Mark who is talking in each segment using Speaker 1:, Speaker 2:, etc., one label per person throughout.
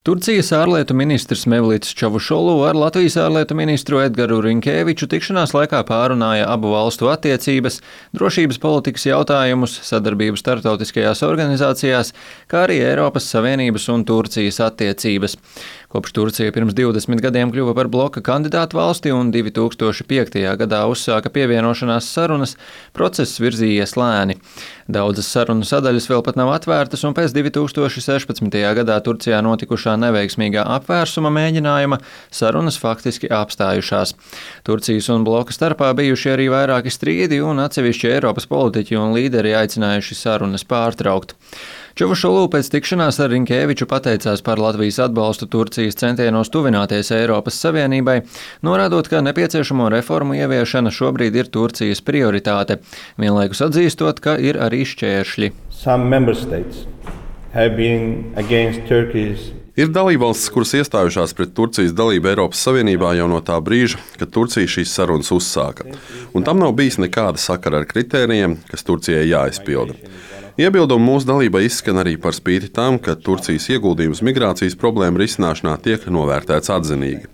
Speaker 1: Turcijas ārlietu ministrs Mevlits Čavušolu ar Latvijas ārlietu ministru Edgaru Rinkēviču tikšanās laikā pārunāja abu valstu attiecības, drošības politikas jautājumus, sadarbību starptautiskajās organizācijās, kā arī Eiropas Savienības un Turcijas attiecības. Kopš Turcija pirms 20 gadiem kļuva par bloka kandidātu valsti un 2005. gadā uzsāka pievienošanās sarunas, process virzījies lēni. Daudzas sarunu sadaļas vēl pat nav atvērtas, un pēc 2016. gadā Turcijā notikušā neveiksmīgā apvērsuma mēģinājuma sarunas faktiski apstājušās. Turcijas un bloka starpā bijuši arī vairāki strīdi, un atsevišķi Eiropas politiķi un līderi aicinājuši sarunas pārtraukt. Čavušolu pēc tikšanās ar Rinkēviču pateicās par Latvijas atbalstu Turcijas centienos tuvināties Eiropas Savienībai, norādot, ka nepieciešamo reformu ieviešana šobrīd ir Turcijas prioritāte, vienlaikus atzīstot, ka ir arī šķēršļi.
Speaker 2: Ir dalībvalstis, kuras iestājušās pret Turcijas dalību Eiropas Savienībā jau no tā brīža, kad Turcija šīs sarunas uzsāka, un tam nav bijis nekāda sakara ar kritērijiem, kas Turcijai jāizpilda. Iebildumi mūsu dalībai izskan arī par spīti tam, ka Turcijas ieguldījums migrācijas problēmu risināšanā tiek novērtēts atzinīgi.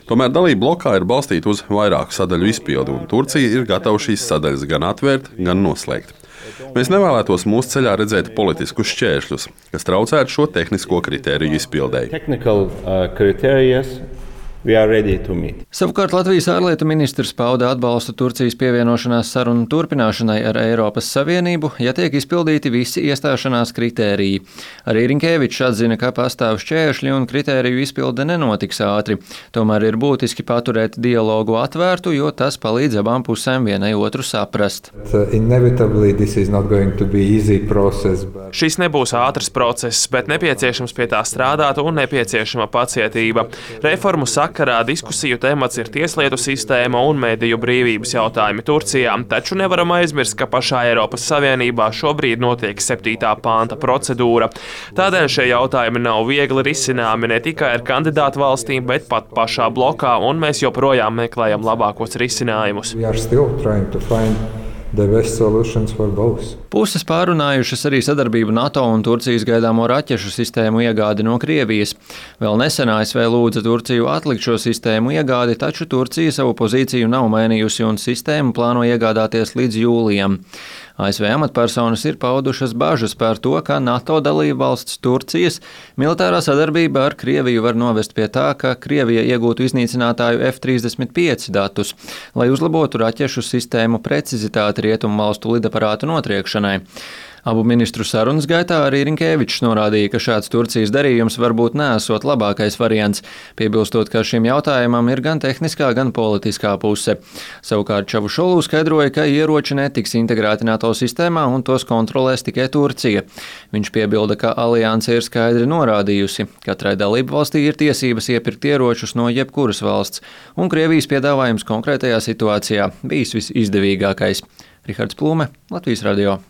Speaker 2: Tomēr dalība blokā ir balstīta uz vairāku sadaļu izpildi, un Turcija ir gatava šīs sadaļas gan atvērt, gan noslēgt. Mēs nevēlētos mūsu ceļā redzēt politiskus šķēršļus, kas traucētu šo tehnisko kritēriju izpildēji.
Speaker 1: Savukārt Latvijas ārlietu ministrs pauda atbalstu Turcijas pievienošanās sarunu turpināšanai ar Eiropas Savienību, ja tiek izpildīti visi iestāšanās kritēriji. Arī Rinkēvičs atzina, ka pastāv šķēršļi un kritēriju izpilde nenotiks ātri. Tomēr ir būtiski paturēt dialogu atvērtu, jo tas palīdz abām pusēm vienai otru saprast.
Speaker 3: Šis nebūs ātrs process, bet nepieciešams pie tā strādāt un nepieciešama pacietība. Reformu sakarā diskusiju temats ir tieslietu sistēma un mediju brīvības jautājumi Turcijā, taču nevaram aizmirst, ka pašā Eiropas Savienībā šobrīd notiek 7. panta procedūra. Tādēļ šie jautājumi nav viegli risināmi ne tikai ar kandidātu valstīm, bet pat pašā blokā, un mēs joprojām meklējam labākos risinājumus.
Speaker 1: Puses pārunājušas arī sadarbību NATO un Turcijas gaidāmo raķešu sistēmu iegādi no Krievijas. Vēl nesen ASV lūdza Turciju atlikt šo sistēmu iegādi, taču Turcija savu pozīciju nav mainījusi un sistēmu plāno iegādāties līdz jūlijam. ASV amatpersonas ir paudušas bažas par to, ka NATO dalībvalsts Turcijas militārā sadarbība ar Krieviju var novest pie tā, ka Krievija iegūtu iznīcinātāju F-35 datus, lai uzlabotu raķešu sistēmu precizitāti rietumvalstu lidaparātu notriekšanai. Abu ministru sarunas gaitā arī Rinkēvičs norādīja, ka šāds Turcijas darījums varbūt neesot labākais variants, piebilstot, ka šim jautājumam ir gan tehniskā, gan politiskā puse. Savukārt Čavušolu skaidroja, ka ieroči netiks integrēti NATO sistēmā un tos kontrolēs tikai Turcija. Viņš piebilda, ka alianse ir skaidri norādījusi, katrai dalību valstī ir tiesības iepirkt ieročus no jebkuras valsts, un Krievijas piedāvājums konkrētajā situācijā bijis visizdevīgākais. Rihards Plūme, Latvijas radio.